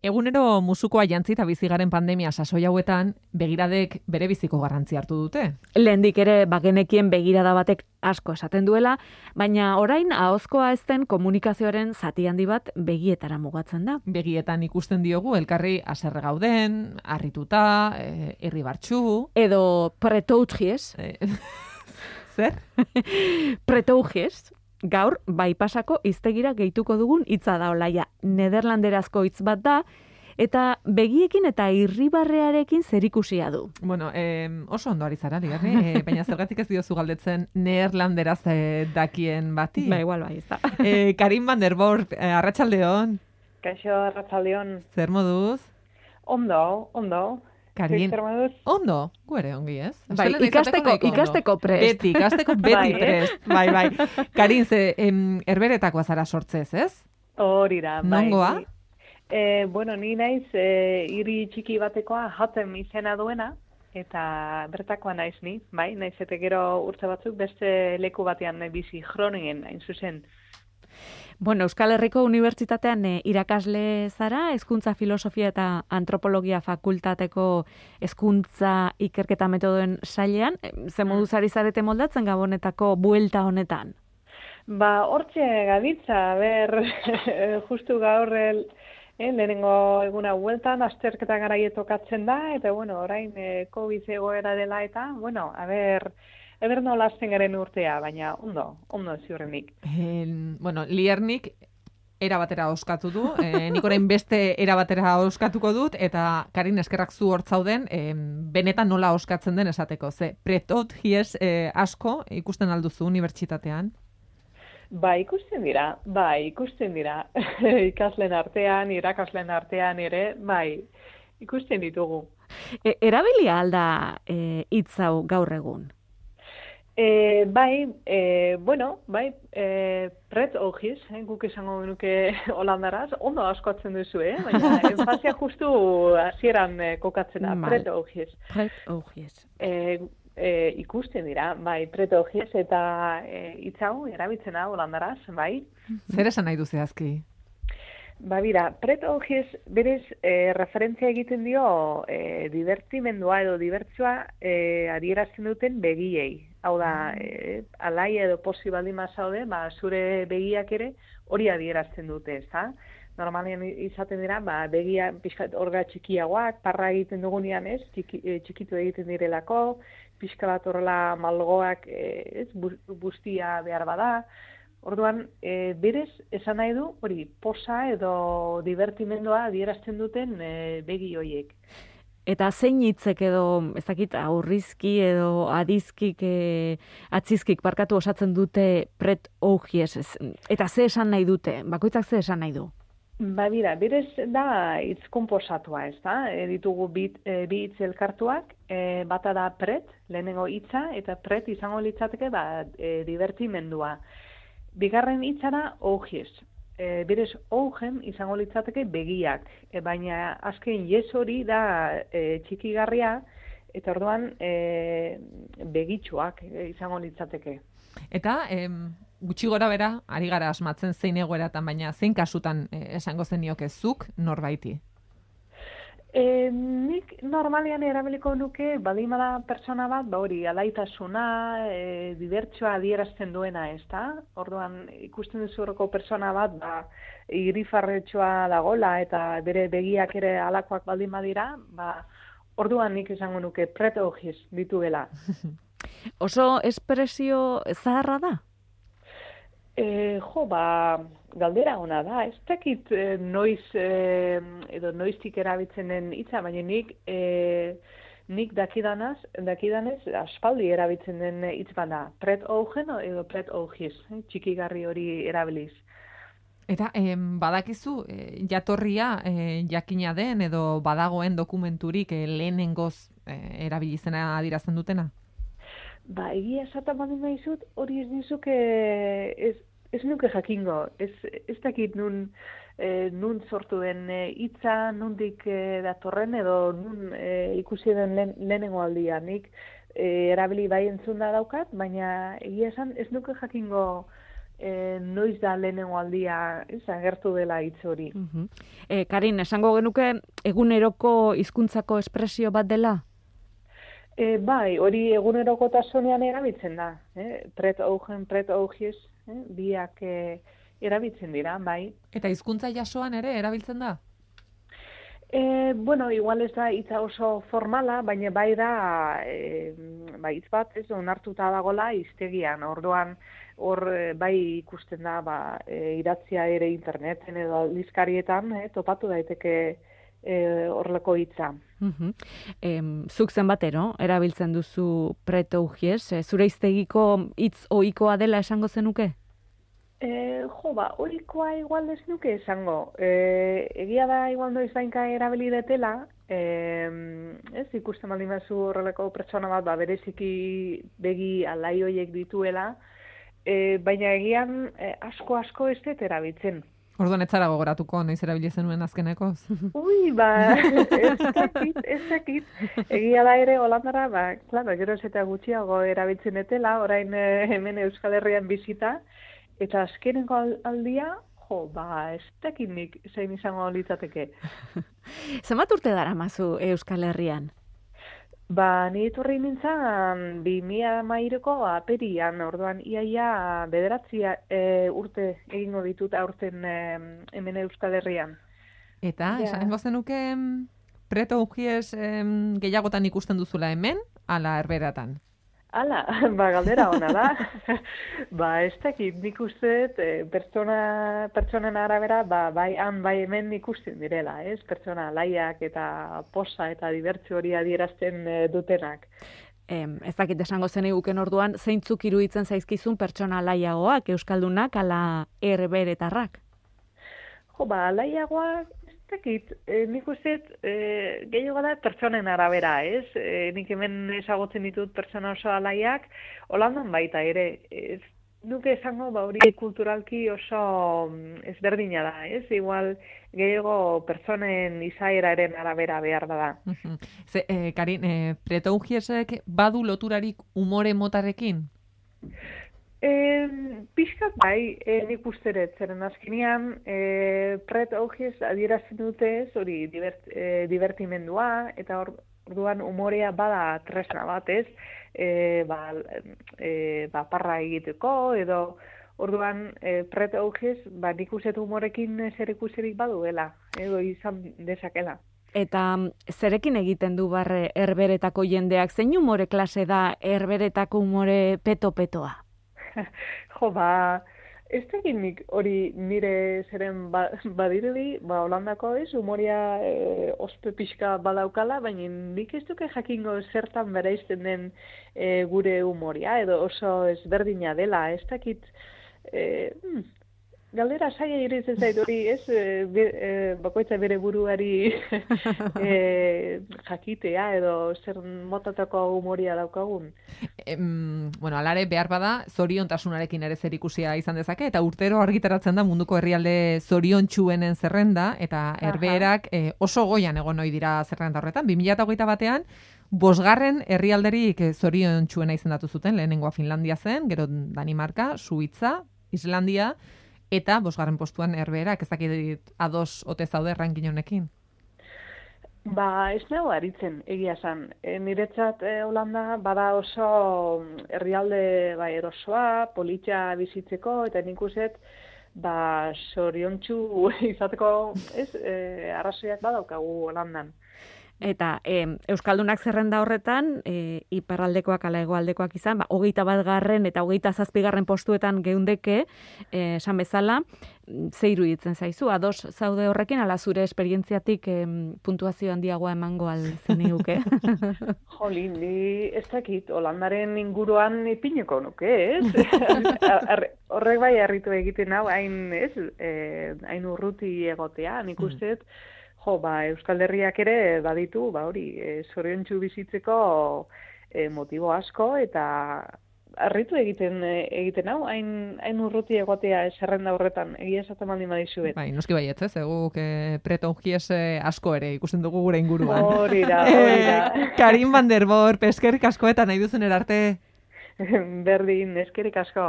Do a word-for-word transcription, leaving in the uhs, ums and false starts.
Egunero musukoa jantzi eta bizigaren pandemia sasoi hauetan, begiradek bere biziko garrantzi hartu dute. Lehendik ere bagenekien begirada batek asko esaten duela, baina orain ahozkoa ez den komunikazioaren zati handi bat begietara mugatzen da. Begietan ikusten diogu elkarri haserre gauden, harrituta, eh, irribartsu, Edo pretougies, eh, zer? pretougies, gaur baipasako hiztegira gehituko dugun hitza da olaia. Nederlanderazko hitz bat da, eta begiekin eta irribarrearekin zerikusia du. Bueno, eh, oso ondo ari zara, Ligarri, eh, baina zergatik ez diozu galdetzen neerlanderaz eh, dakien bati. Ba, igual bai, ez da. Eh, Karin van der Borp, eh, arratsaldeon, Kaixo, arratsaldeon. zer moduz? Ondo, ondo. Karin, Zer moduz? ondo, gu ere ongi, ez? Bai, Astelena izateko ikasteko, nahiko ondo. ikasteko prest. Beti, ikasteko beti Bai, eh? prest. Bai, bai. Karin, ze em, herberetakoa zara sortzez, ez? Hori da, bai. Nongoa? Ni- Eh, bueno, ni naiz eh, hiri txiki batekoa jaten izena duena, eta bertakoa naiz ni, bai, naiz eta gero urte batzuk beste leku batean bizi Groningen, hain zuzen. Bueno, Euskal Herriko Unibertsitatean eh, irakasle zara, hezkuntza filosofia eta antropologia fakultateko hezkuntza ikerketa metodoen sailean. Eh, Ze moduz ari zarete moldatzen gabonetako buelta honetan? Ba, hortxe gabiltza, ber, justu gaur el, eh, lehenengo eguna bueltan, azterketa garaie tokatzen da, eta bueno, orain eh, COVID egoera dela eta, bueno, a ber, eber nola hasten garen urtea, baina ondo, ondo ziurrenik. En, bueno, Liernik era batera oskatu du, eh, nik orain beste era batera oskatuko dut, eta Karin eskerrak zu hortzauden, eh, benetan nola oskatzen den esateko. Ze, pretot hies eh, asko ikusten alduzu unibertsitatean. Ba, ikusten dira, bai, ikusten dira. Ikasleen artean, irakasleen artean ere, bai, ikusten ditugu. E, erabilia alda eh, hitz hau gaur egun? E, bai, e, bueno, bai, e, pret ogiz, eh, guk esango genuke holandaraz, ondo askoatzen duzu, eh? Baina enfazia justu hasieran eh, kokatzen da, Mal. pret ogiz. Pret ogies. E, e, ikusten dira, bai, pret ogiz eta e, hitz hau erabiltzen da holandaraz, bai. Zer esan nahi du zehazki? Ba, bira, pret ogiz berez e, referentzia egiten dio e, divertimendua edo dibertsua e, adierazten duten begiei. Hau da, e, alai edo posi baldin bazaude, ba, zure begiak ere hori adierazten dute, ezta? Normalean izaten dira, ba, begia pixka orga txikiagoak, parra egiten dugunean, ez, txiki, e, txikitu egiten direlako, pixka bat horrela malgoak, e, ez, bu- bustia behar bada. Orduan, e, berez, esan nahi du, hori, posa edo divertimendua adierazten duten e, begi hoiek. Eta zein hitzek edo, ez dakit, aurrizki edo adizkik, e, atzizkik barkatu osatzen dute pret ogies. ez- Eta ze esan nahi dute? Bakoitzak ze esan nahi du? Ba, bira, berez da hitz konposatua, ez da? E, ditugu bi, e, bi hitz elkartuak, e, bata da pret, lehenengo hitza, eta pret izango litzateke, ba, e, divertimendua. Bigarren hitza da ogies. E, berez, ogen izango litzateke begiak, e, baina azken yes hori da e, txikigarria, eta orduan e, begitxoak e, izango litzateke. Eta, em, gutxi gora bera, ari gara asmatzen zein egoeratan, baina zein kasutan eh, esango zeniokezuk norbaiti. E, nik normalean erabiliko nuke, badimada pertsona bat, ba hori, alaitasuna, e, dibertsioa adierazten duena, ez da? Orduan, ikusten duzu horreko pertsona bat, ba, irifarretxoa dagola eta bere begiak ere alakoak baldin badira, ba, orduan nik esango nuke pret ogiz dituela. Oso espresio zaharra da? E, jo, ba, galdera ona da, ez dakit e, noiz, e, edo noiztik erabiltzen den hitza, baina nik, e, nik dakidanaz, dakidanez, aspaldi erabiltzen den hitz bada, pret ogen edo pret ogiz, eh, txikigarri hori erabiliz. Eta em, badakizu, eh, jatorria eh, jakina den edo badagoen dokumenturik eh, lehenengoz eh, erabilizena adirazten dutena? Ba, egia esaten badin daizut, hori ez nizuke, ez, ez nuke jakingo, ez, ez dakit nun, e, nun sortu den e, hitza, nundik e, datorren edo nun e, ikusi den lehen, lehenengo aldia. Nik e, erabili bai entzunda daukat, baina egia esan ez nuke jakingo e, noiz da lehenengo aldia ez, agertu dela hitz hori. Uh-huh. E, Karin, esango genuke eguneroko hizkuntzako espresio bat dela? E, bai, hori egunerokotasunean erabiltzen da. Eh? Pret augen, pret augies, eh? biak e, erabiltzen dira, bai. Eta hizkuntza jasoan ere erabiltzen da? E, bueno, igual ez da hitza oso formala, baina bai da e, bai hitz bat, ez onartuta dagola hiztegian. Orduan hor e, bai ikusten da ba, e, idatzia ere interneten edo aldizkarietan eh, topatu daiteke e, horrelako hitza. Uh-huh. Em, zuk zenbatero erabiltzen duzu pretougies, e, zure hiztegiko hitz ohikoa dela esango zenuke? E, jo, ba, horikoa igual ez nuke esango. E, egia da igual noiz bainka erabili detela, e, ez ikusten baldin bazu horrelako pertsona bat, ba, bereziki begi alai hoiek dituela, e, baina egian e, asko-asko ez dut erabiltzen. Orduan ez zara gogoratuko, noiz erabili zenuen azkenekoz. Ui, ba, ez dakit, ez dakit. Egia da ere, Holandara, ba, klaro, gero ez eta gutxiago erabiltzen etela, orain eh, hemen Euskal Herrian bizita, eta azkeneko aldia, jo, ba, ez dakit nik zein izango litzateke. Zenbat urte daramazu Euskal Herrian? Ba, ni etorri nintzen bi mila hamairuko aperian, orduan iaia bederatzi e, urte egingo ditut aurten e, hemen Euskal Herrian. Eta, Ja. esango zenuke preto ujiez em, gehiagotan ikusten duzula hemen, ala herberatan? Hala, ba, galdera ona da. Ba, ez dakit, nik uste dut, e, pertsona, pertsonen arabera, ba, bai han, bai hemen ikusten direla, ez? Pertsona laiak eta posa eta dibertsio hori adierazten e, dutenak. Em, ez dakit esango zeniguken orduan, zeintzuk iruditzen zaizkizun pertsona laiagoak, euskaldunak, ala herberetarrak? Jo, ba, laiagoak, ez dakit, e, nik uste dut, e, gehiago da pertsonen arabera, ez? E, nik hemen ezagutzen ditut pertsona oso alaiak, Holandan baita ere, ez nuke esango ba hori kulturalki oso mm, ezberdina da, ez? Igual gehiago pertsonen izaeraren arabera behar da. Mhm. Ze, eh, Karin, eh, preto ujiezek badu loturarik umore motarekin? E, pixkat bai, e, nik usteret, zeren azkenean e, pret augiez adierazten dute ez, hori divert, e, divertimendua, eta hor, orduan umorea bada tresna bat ez, e, ba, e, ba, parra egiteko, edo orduan e, pret augiez, ba, nik usteet umorekin zer ikusirik baduela, edo izan dezakela. Eta zerekin egiten du barre herberetako jendeak? Zein umore klase da herberetako umore peto-petoa? Jo, ba, ez dakit nik hori nire zeren ba, badirudi, ba, Holandako ez, umoria e, ospe pixka badaukala, baina nik ez duke jakingo zertan bereizten den e, gure umoria, edo oso ezberdina dela, ez dakit, e, hmm, galdera saia iruditzen zait hori, ez, e, be, e, bakoitza bere buruari e, jakitea, edo zer motatako umoria daukagun. Em, bueno, alare behar bada, zoriontasunarekin ere zer ikusia izan dezake, eta urtero argitaratzen da munduko herrialde zoriontsuenen zerrenda, eta herbeerak eh, oso goian egon ohi dira zerrenda horretan. bi mila hogeita batean, bosgarren herrialderik eh, zoriontsuena izendatu zuten, lehenengoa Finlandia zen, gero Danimarka, Suitza, Islandia, eta bosgarren postuan herbeerak, ez dakit ados ote zaude ranking honekin. Ba, ez nago aritzen, egia esan. E, niretzat e, Holanda bada oso herrialde bai erosoa, politxa bizitzeko, eta nik uset, ba, zoriontsu izateko, ez, e, arrazoiak badaukagu Holandan. Eta e, euskaldunak zerrenda horretan, e, iparraldekoak ala hegoaldekoak izan, ba, hogeita bat garren eta hogeita zazpigarren postuetan geundeke, e, esan bezala, ze iruditzen zaizu, ados zaude horrekin, ala zure esperientziatik e, puntuazio handiagoa emango al zeniguke? Jolin, ni ez dakit, Holandaren inguruan ipineko nuke, ez? Horrek bai harritu egiten hau, hain, ez, e, hain urruti egotea, nik usteet, jo, ba, Euskal Herriak ere baditu, ba, hori, e, zoriontsu bizitzeko e, motibo asko, eta harritu egiten egiten hau, hain, hain urruti egotea zerrenda horretan, egia esaten baldin badizuet. Bai, noski baietz, ez, eguk eh, preto ujiez eh, asko ere ikusten dugu gure inguruan. Hori da, hori da. Eh, Karin van der Borp, eskerrik asko eta nahi duzen erarte. Berdin, eskerrik asko.